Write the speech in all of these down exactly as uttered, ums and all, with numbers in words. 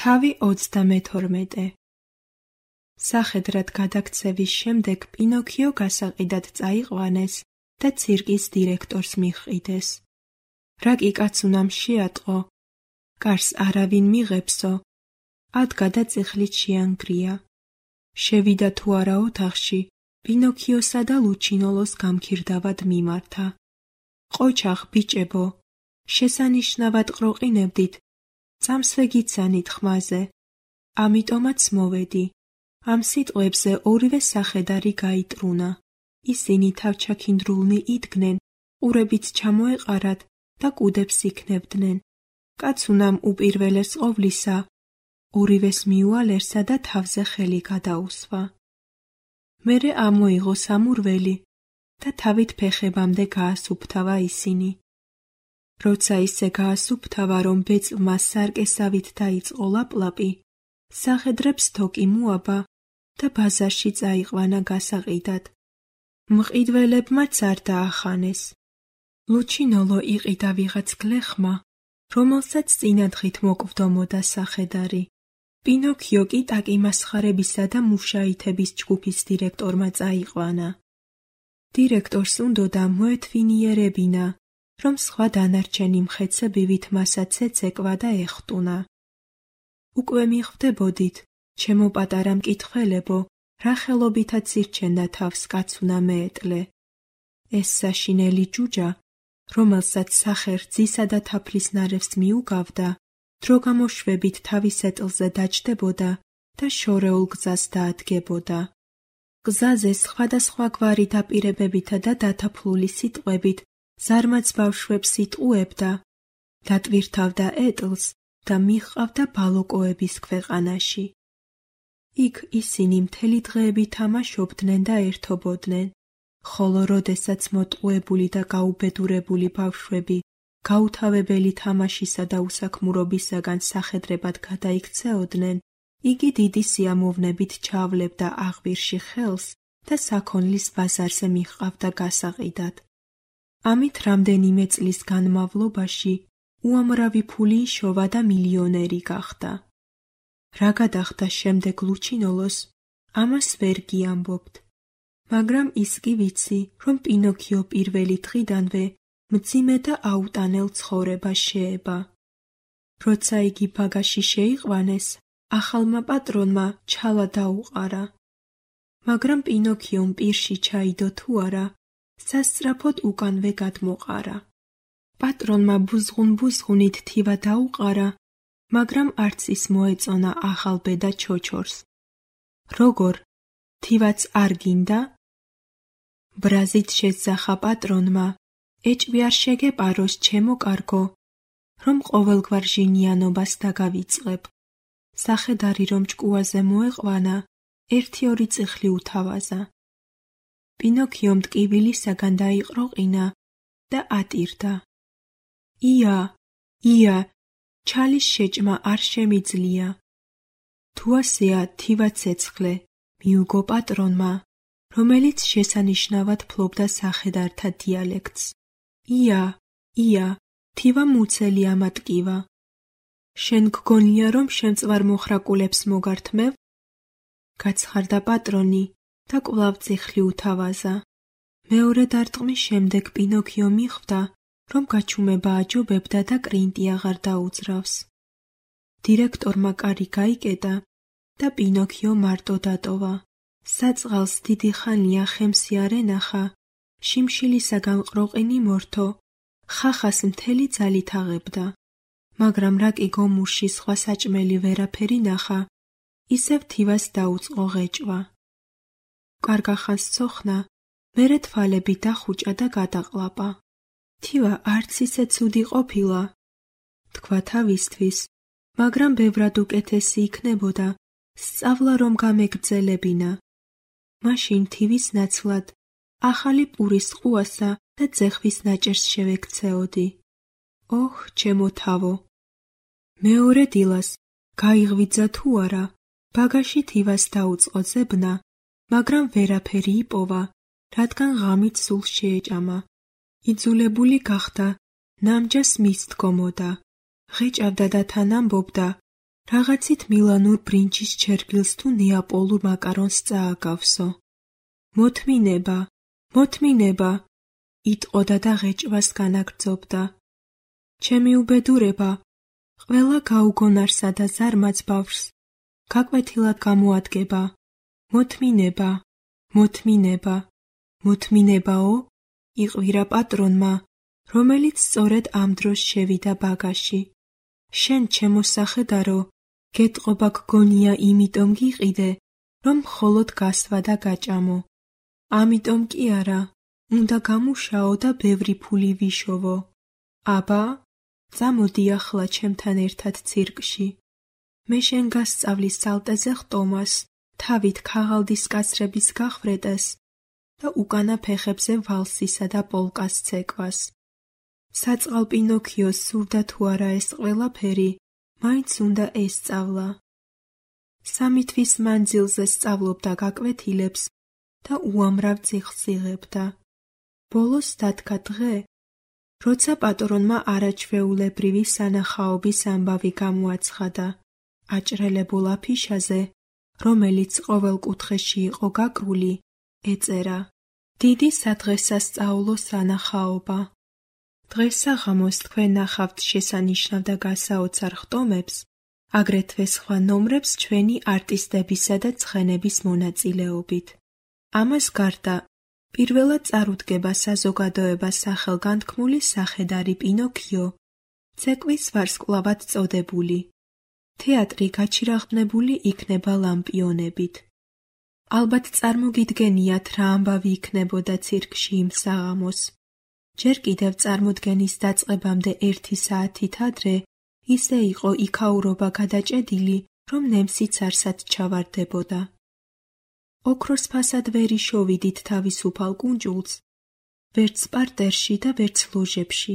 თავი ოცდამეთორმეტე. სახედრად გადაქცევის შემდეგ პინოქიო გასაყიდად წაიყვანეს და ცირკის დირექტორს მიჰყიდეს. რა კი კაც უნამ შეატყო, კარს არავინ მიღებსო, ადგა და წიხლით შეანგრია. შევიდა თუ არა ოთახში, პინოქიოსა და ლუჩინოლოს გამქირდავად მიმართა. ყოჩახ ბიჭებო, შესანიშნავად ყროყინებდით, წამსვე გიცანით ხმაზე, ამიტომაც მოვედი. ამ სიტყვებზე ორივე სახედარი გაიტრუნა. ისინი თავჩაქინდრულნი იდგნენ, ყურებით ჩამოეყარათ და კუდებს იქნებდნენ. კაც უნამ უპირველეს ყოვლისა, ორივეს მიუალერსა და თავზე ხელი გადაუსვა. მერე ამოიღო სამურველი და თავით ფეხებამდე გაასუფთავა ისინი. როცა ისე გაასუფთავა, რომ ბეწვმა სარკესავით დაიწყო ლაპლაპი, სახედრებს თოკი მოაბა და ბაზარში წაიყვანა გასაყიდად. მყიდველებმაც არ დაახანეს. ლუჩინოლო იყიდა ვიღაც გლეხმა, რომელსაც წინადღით მოკვდომოდა სახედარი. პინოქიო კი ტაკიმასხარებისა და მუშაითების ჯგუფის დირექტორმა წაიყვანა. დირექტორს უნდოდა მოეთვინიერებინა, რომ სხვა დანარჩენი მხეცებივით მასაც ეცეკვა და ეხტუნა. უკვე მიხვდებოდით, ჩემო პატარა მკითხველებო, რა ხელობითაც ირჩენდა თავს კაცუნა მეეტლე. ეს საშინელი ჯუჯა, რომელსაც სახერ ძისა და თაფლის ნარევს მიუგავდა, დრო გამოშვებით თავის ეტლზე დაჯდებოდა და შორეულ გზას დაადგებოდა. გზაზე სხვადასხვაგვარი დაპირებებითა და დათაფლული სიტყვებით ზარმაც ბავშვებს იტყუებდა, დატვირთავდა ეტლს და მიჰყავდა ბალოკოების ქვეყანაში. იქ ისინი მთელი დღეები თამაშობდნენ და ერთობოდნენ, ხოლო როდესაც მოტყუებული და გაუბედურებული ბავშვები გაუთავებელი თამაშისა და უსაქმურობისაგან სახედრებად გადაიქცეოდნენ, იგი დიდი სიამოვნებით ჩავლებდა აღვირში ხელს და საქონლის ბაზარზე მიჰყავდა გასაყიდად. ამით რამდენიმე წლის განმავლობაში უამრავი ფული იშოვა და მილიონერი გახდა. რა გადახდა შემდეგ ლუჩინოლოს, ამას ვერ გიამბობთ. მაგრამ ის კი ვიცი, რომ პინოქიო პირველი დღიდანვე მძიმე და აუტანელ ცხოვრებას შეება. როცა იგი ბაგაში შეიყვანეს, ახალმა პატრონმა ჩალა დაუყარა. მაგრამ პინოქიომ პირში ჩაიდო თუ არა, სასწრაფოდ უკანვე გადმოყარა. პატრონმა ბუზღუნ-ბუზღუნით თივა დაუყარა, მაგრამ არც ის მოეწონა ახალ ბედა ჩოჩორს. როგორ? თივაც არ გინდა? ბრაზით შეძახა პატრონმა, ეჭვი არ შეგეპაროს ჩემო კარგო, რომ ყოველგვარ ჟინიანობას დაგავიწყებ. სახედარი რომ ჭკუაზე მოეყვანა, ერთი-ორი წიხლი უთავაზა. პინოქიომ ტკივილისაგან დაიყროყინა და ატირდა. ია, ია, ჩალის შეჭმა არ შემიძლია. თუ ასეა, თივა ცეცხლე, მიუგო პატრონმა, რომელიც შესანიშნავად ფლობდა სახედართა დიალექტს. ია, ია, თივა მუცელი ამატკივა. შენ გგონია, რომ შემწვარ მოხრაკულებს მოგართმევ? გაცხარდა პატრონი და კვლავ წიხლი უთავაზა. მეორე დარტყმის შემდეგ პინოქიო მიხვდა, რომ გაჩუმება აჯობებდა და კრინტი აღარ დაუძრავს. დირექტორმა კარი გაიკეტა და პინოქიო მარტო დატოვა. საწყალს დიდი ხანია ხემსი არ ენახა, შიმშილისაგან ყროყინი მორთო, ხახას მთელი ძალით აღებდა. მაგრამ რა კი გომურში სხვა საჭმელი ვერაფერი ნახა, ისევ თივას დაუწყო ღეჭვა. კარგა ხანს ცოხნა, მერე თვალები დახუჭა და გადაყლაპა. თივა არც ისე ცუდი ყოფილა, თქვა თავისთვის, მაგრამ ბევრად უკეთესი იქნებოდა, სწავლა რომ გამეგრძელებინა. მაშინ თივის ნაცვლად ახალი პურის ყუასა და ძეხვის ნაჭერს შევექცეოდი. ოჰ, ჩემო თავო! მეორე დილას გაიღვიძა თუ არა, ბაგაში თივას დაუწყო ძებნა, მაგრამ ვერაფერი იპოვა, რადგან ღამით სულ შეეჭამა. იძულებული გახდა, ნამჯას მის დგომოდა, ღეჭავდა და თან ამბობდა, Რაღაცით მილანურ ბრინჯის ჩერგილს თუ ნეაპოლურ მაკარონს წააგავსო. მოთმინება, მოთმინება, იტყოდა და ღეჭვას განაგრძობდა. ჩემი უბედურება, ყველა გაუგონარსა და ზარმაც ბავშვს გაკვეთილად გამოადგება. მოთმინება, მოთმინება, მოთმინებაო, იყვირა პატრონმა, რომელიც სწორედ ამ დროს შევიდა ბაგაში. შენ ჩემო სახედარო, გეტყობა გგონია იმიტომ გიყიდე, რომ მხოლოდ გასვა და გაჭამო. ამიტომ კი არა, უნდა გამუშაო და ბევრი ფული ვიშოვო. აბა, წამოდი ახლა ჩემთან ერთად ცირკში. მე შენ გასწავლის სალტეზე ხტომას, თავით ქაღალდის კაცრების გახვრეტეს და უკანა ფეხებზე ვალსისა და პოლკას ცეკვას. საწყალ პინოქიოს სურდა თუ არა ეს ყველაფერი, მაინც უნდა ესწავლა. სამი თვის მანძილზე სწავლობდა გაკვეთილებს და უამრავ წიგნს იღებდა. ბოლოს დადგა დღე, როცა პატრონმა არაჩვეულებრივი სანახაობის ამბავი გამოაცხადა აჭრელებულ აფიშაზე, რომელიც ყოველ კუთხეში იყო გაკრული, ეწერა: დიდი სადღესასწაულო სანახაობა. დღესაღამოს თქვენ ნახავთ შესანიშნავ და გასაოცარ ხტომებს, აგრეთვე სხვა ნომრებს ჩვენი არტისტებისა და ცხენების მონაწილეობით. ამას გარდა, პირველად წარუდგება საზოგადოება სახელგანთქმული სახედარი პინოქიო, ცეკვის ვარსკვლავად წოდებული. თეატრი გაჩირაღდნებული იქნება ლამპიონებით. ალბათ წარმოგიდგენიათ რა ამბავი იქნებოდა ცირკში იმ საღამოს. ჯერ კიდევ წარმოდგენის დაწყებამდე ერთი საათით ადრე ისე იყო იქაურობა გადაჭედილი, რომ ნემსიც არსად ჩავარდებოდა. ოქროს ფასად ვერ იშოვიდით თავისუფალ კუნჭულს, ვერც პარტერში და ვერც ლოჟებში.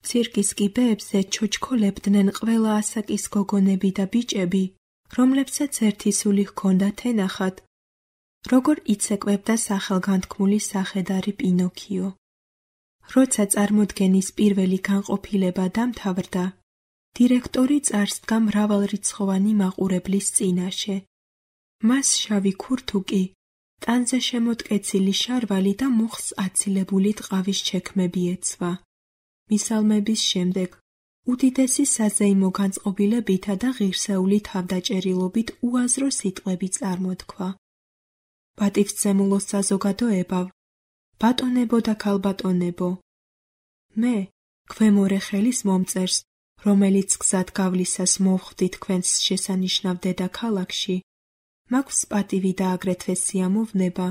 ცირკის კიბეებზე ჩოჩქოლებდნენ ყველა ასაკის გოგონები და ბიჭები, რომლებსაც ერთი სული ჰქონდათ ენახათ, როგორ იცეკვებდა სახელგანთქმული სახედარი პინოქიო. როცა წარმოდგენის პირველი განყოფილება დამთავრდა, დირექტორი წარსდგა მრავალრიცხოვანი მაყურებლის წინაშე. მას შავი ქურთუკი, ტანზე შემოტკეცილი შარვალი და მუხს აცილებული ტყავის ჩექმები ეცვა. მისალმების შემდეგ უდიდესი საზეიმო განწყობილებითა და ღირსეული თავდაჭერილობით უაზრო სიტყვები წარმოთქვა. პატივსცემულო საზოგადოებავ, ბატონებო და ქალბატონებო, მე, ქვემორე ხელის მომწერს, რომელიც გზად გავლისას მოვხვდი თქვენს შესანიშნავ დედაქალაქში, მაქვს პატივი და აგრეთვე სიამოვნება,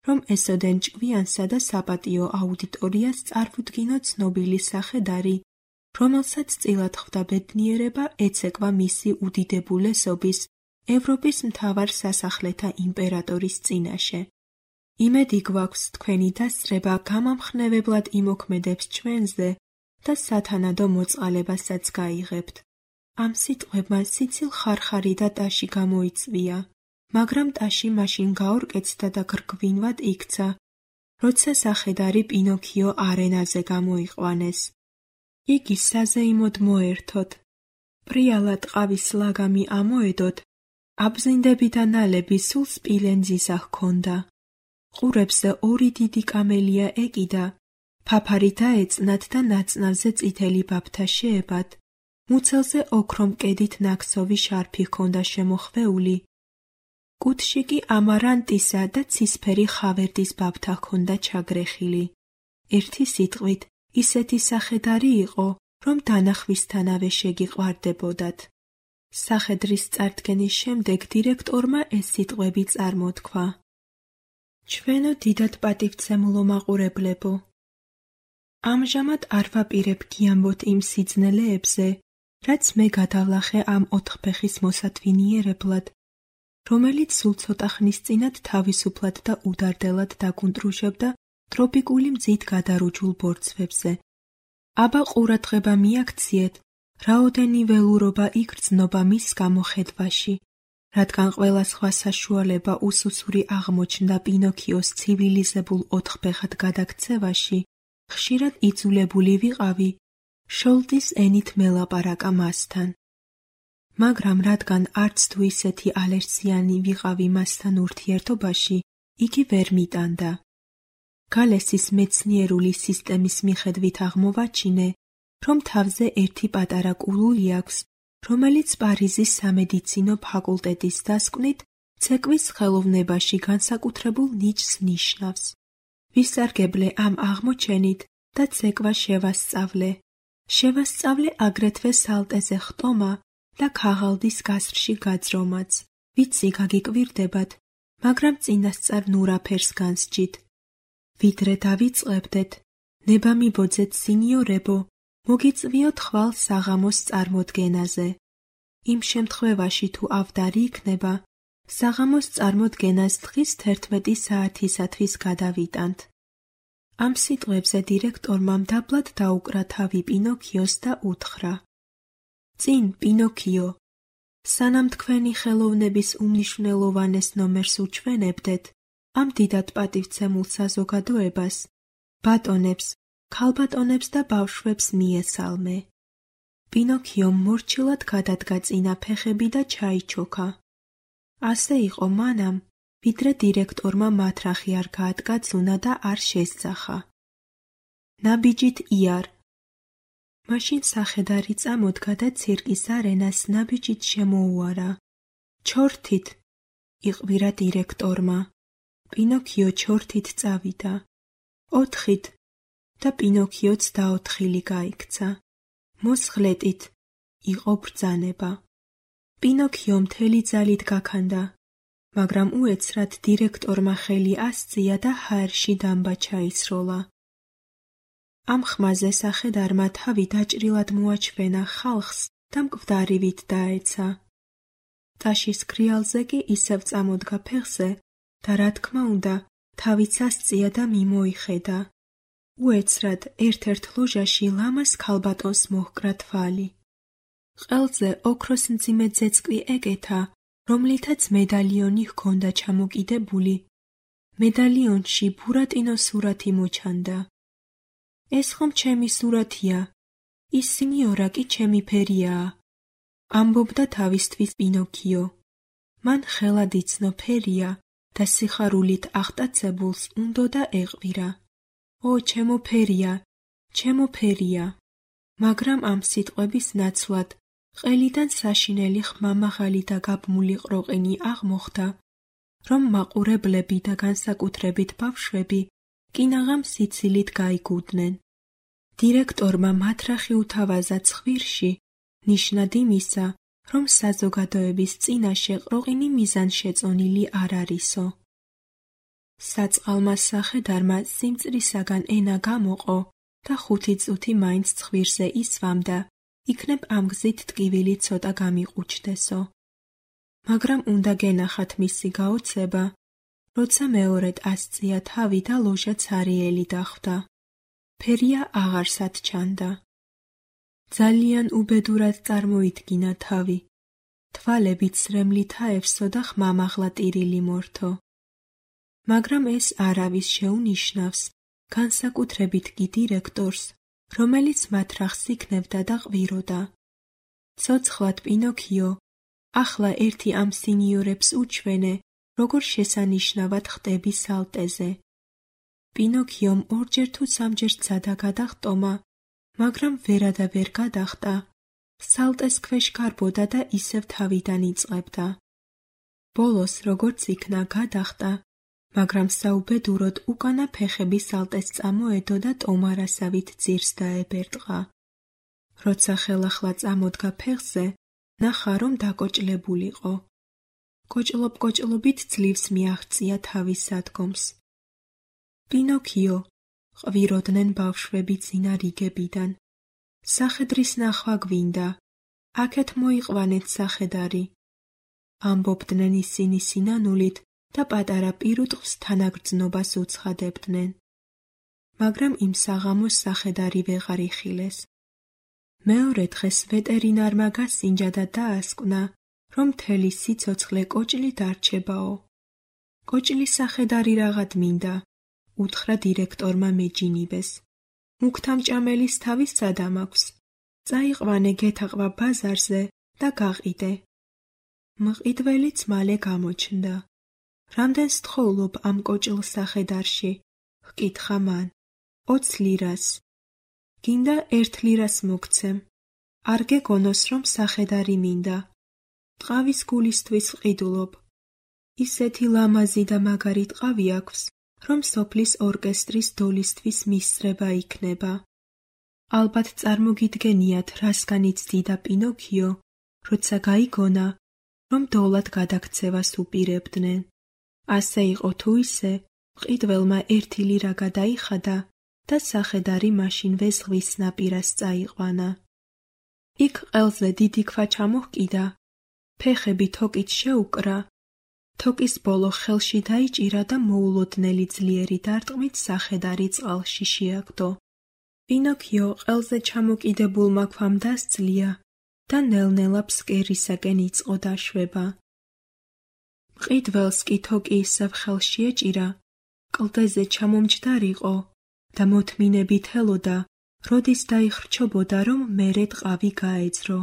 რომ ესოდენ ჭკვიანსა და საპატიო აუდიტორიას წარვუდგინო ცნობილი სახედარი, რომელსაც წილად ხვდა ბედნიერება ეცეკვა მისი უდიდებულესობის, ევროპის მთავარ სასახლეთა იმპერატორის წინაშე. იმედი გვაქვს თქვენი დასწრება გამამხნევებლად იმოქმედებს ჩვენზე და სათანადო მოწყალებასაც გაიღებთ. ამ სიტყვებმა სიცილ ხარხარი და ტაში გამოიწვია, მაგრამ ტაში მაშინ გაორკეცდა და გრგვინვად იქცა, როცა სახედარი პინოქიო არენაზე გამოიყვანეს. იგი საზეიმოდ მოერთოთ, პრიალა ტყავის ლაგამი ამოედოთ, აბზინდები და ნალები სულ სპილენძისა ჰქონდა. ყურებზე ორი დიდი კამელია ეკიდა, ფაფარი დაეწნათ და ნაწნავზე წითელი ბაფთა შეებად, მუცელზე ოქრომ კედით ნაქსოვი შარფი ჰქონდა შემოხვეული, კუდში კი ამარანტისა და ცისფერი ხავერდის ბაფთა ჰქონდა ჩაგრეხილი. ერთი სიტყვით, ისეთი სახედარი იყო, რომ დანახვისთანავე შეგიყვარდებოდათ. სახედრის წარდგენის შემდეგ დირექტორმა ეს სიტყვები წარმოთქვა. ჩვენო დიდად პატივცემულო მაყურებლებო, ამჟამად არ ვაპირებ გიამბოთ იმ სიძნელეებზე, რაც მე გადავლახე ამ ოთხფეხის მოსათვინიერებლად, რომელიც სულ ცოტა ხნის წინათ თავისუფლად და უდარდელად დაგუნტრუშებდა ტროპიკული მძით გადარუჯულ ბორცვებზე. აბა ყურადღება მიაქციეთ, რაოდენი ველურობა იგრძნობა მის გამოხედვაში, რადგან ყველა სხვა საშუალება უსუსური აღმოჩნდა პინოქიოს ცივილიზებულ ოთხფეხად გადაქცევაში, ხშირად იძულებული ვიყავი შოლტის ენით მელაპარაკა მასთან. მაგრამ რადგან არც თუ ისეთი ალერსიანი ვიყავი მასთან ურთიერთობაში, იგი ვერ მიტანდა. გალესის მეცნიერული სისტემის მიხედვით აღმოვაჩინე, რომ თავზე ერთი პატარა კულული აქვს, რომელიც პარიზის სამედიცინო ფაკულტეტის დასკვნით ცეკვის ხელოვნებაში განსაკუთრებულ ნიჭს ნიშნავს. ვისარგებლე ამ აღმოჩენით და ცეკვა შევასწავლე. შევასწავლე აგრეთვე სალტეზე ხტომა და ქაღალდის გასრში გაძრომაც. ვიცი გაგიკვირდებათ, მაგრამ წინასწარ ნურაფერს განსჯით. ვიდრე დავიწყებდეთ, ნება მიბოძეთ სინიორებო, მოგიწვიოთ ხვალ საღამოს წარმოდგენაზე. იმ შემთხვევაში თუ ავდარი იქნება, საღამოს წარმოდგენას დღის თერთმეტი საათისათვის გადავიტანთ. ამ სიტყვებზე დირექტორმა მდაბლად დაუკრა თავი პინოქიოს და უთხრა: წინ, პინოქიო, სანამ თქვენი ხელოვნების უმნიშვნელოვანეს ნომერს უჩვენებდეთ, ამ დიდად პატივცემულ საზოგადოებას, ბატონებს, ქალბატონებს და ბავშვებს მიესალმე. პინოქიომ მორჩილად გადადგა წინა ფეხები და ჩაიჩოქა. ასე იყო მანამ, ვიდრე დირექტორმა მათრახი არ გაადგაცუნა და არ შესძახა. ნაბიჯით იარ. მაშინ სახედარი წამოდგა და ცირკის არენას ნაბიჯით შემოუარა. ჩორთით, იყვირა დირექტორმა. პინოქიო ჩორთით წავიდა. ოთხით და პინოქიოც დაოთხილი გაიქცა. მოსხლეტით, იყო ბრძანება. პინოქიო მთელი ძალით გაქანდა, მაგრამ უეცრად დირექტორმა ხელი ასწია და ჰაერში დამბა ჩაისროლა. ამ ხმაზე სახედარმა თავი დაჭრილად მოაჩვენა ხალხს და მკვდარივით დაეცა. ტაშის ქრიალზე კი ისევ წამოდგა ფეხზე და რა თქმა უნდა, თავიც ასწია და მიმოიხედა. უეცრად ერთ-ერთ ლოჟაში ლამას ქალბატონს მოჰკრა თვალი. ყელზე ოქროს მძიმე ძეწკვი ეკეთა, რომლითაც მედალიონი ჰქონდა ჩამოკიდებული. მედალიონში ბურატინოს სურათი მოჩანდა. ეს ხომ ჩემი სურათია, ის სინიორა კი ჩემი ფერიაა, ამბობდა თავისთვის პინოქიო. მან ხელად იცნო ფერია და სიხარულით აღტაცებულს უნდოდა ეყვირა. ო, ჩემო ფერია, ჩემო ფერია. მაგრამ ამ სიტყვების ნაცვლად ყელიდან საშინელი ხმამაღალი და გაბმული ყროყინი აღმოხდა, რომ მაყურებლები და განსაკუთრებით ბავშვები კინაღამ სიცილით გაიგუდნენ. დირექტორმა მათრახი უთავაზა ცხვირში, ნიშნად იმისა, რომ საზოგადოების წინაშე ყროყინი მიზანშეწონილი არ არისო. საწყალმა სახედარმა სიმწრისაგან ენა გამოყო და ხუთი წუთი მაინც ცხვირზე ისვამდა, იქნებ ამ გზით ტკივილი ცოტა გამიყუჩდესო. მაგრამ უნდა გენახათ მისი გაოცება, როცა მეორედ ასწია თავი და ლოჟა ცარიელი დახვდა. ფერია აღარსად ჩანდა. ძალიან უბედურად წარმოიდგინა თავი. თვალებით სრემლით აევსო და ხმამაღლა ტირილი მორთო. მაგრამ ეს არავის შეუნიშნავს, განსაკუთრებით კი დირექტორს, რომელიც მათრახს იქნევდა და ყვიროდა. ცოცხლად პინოქიო, ახლა ერთი ამ სინიორებს უჩვენე, როგორ შესანიშნავად ხტები სალტეზე. პინოქიომ ორჯერ თუ სამჯერ სცადა გადახტომა, მაგრამ ვერა და ვერ გადახტა. სალტეს ქვეშ გარბოდა და ისევ თავიდან იწყებდა. ბოლოს როგორც იქნა გადახტა, მაგრამ საუბედუროდ უკანა ფეხები სალტეს წამოედო და ტომარასავით ძირს დაებერტყა. როცა ხელახლა წამოდგა ფეხზე, ნახა რომ დაკოჭლებულიყო. კოჭლობ-კოჭლობით ძლივს მიაღწია თავის სადგომს. პინოქიო, ყვიროდნენ ბავშვები წინა რიგებიდან. სახედრის ნახვა გვინდა, აქეთ მოიყვანეთ სახედარი. ამბობდნენ ისინი სინანულით და პატარა პირუტყვს თანაგრძნობას უცხადებდნენ. მაგრამ იმ საღამოს სახედარი ვეღარ იხილეს. მეორე დღეს ვეტერინარმა გასინჯა და დაასკვნა, რომ მთელი სიცოცხლე კოჭლი დარჩებაო. კოჭლის სახედარი რაღაც მინდა, უთხრა დირექტორმა მეჯინიბეს. მუქთამჭამელის თავის სადამ აქვს. წაიყვანე გეთაყვა ბაზარზე და გაყიდე. მყიდველიც მალე გამოჩნდა. რამდენს თხოვლობ ამ კოჭლ სახედარში? ჰკითხა მან. ოც ლირას. გინდა ერთ ლირას მოგცემ. არ გეგონოს, რომ სახედარი მინდა. ტყავის გულისთვის ვყიდულობ. ისეთი ლამაზი და მაგარი ტყავი აქვს, რომ სოფლის ორკესტრის დოლისთვის მისწრება იქნება. ალბათ წარმოგიდგენიათ, რასგან იცდიდა პინოქიო, როცა გაიგონა, რომ დოლად გადაქცევას უპირებდნენ. ასე იყო თუ ისე, მყიდველმა ერთი ლირა გადაიხადა და სახედარი მაშინვე ზღვის ნაპირას წაიყვანა. იქ ყელზე დიდი ქვა ჩამოჰკიდა, ფეხები თოკით შეუკრა, თოკის ბოლო ხელში დაიჭირა და მოულოდნელი ძლიერი დარტყმით სახედარი წყალში შეაგდო. პინოქიო ყელზე ჩამოკიდებულმა ქვამ დასძლია და ნელ-ნელა ფსკერისაკენ იწყო დაშვება. მყიდველს კი თოკი ისევ ხელში ეჭირა, კლდეზე ჩამომჯდარიყო და მოთმინებით ელოდა, როდის დაიხრჩობოდა, რომ მერე ტყავი გაეძრო.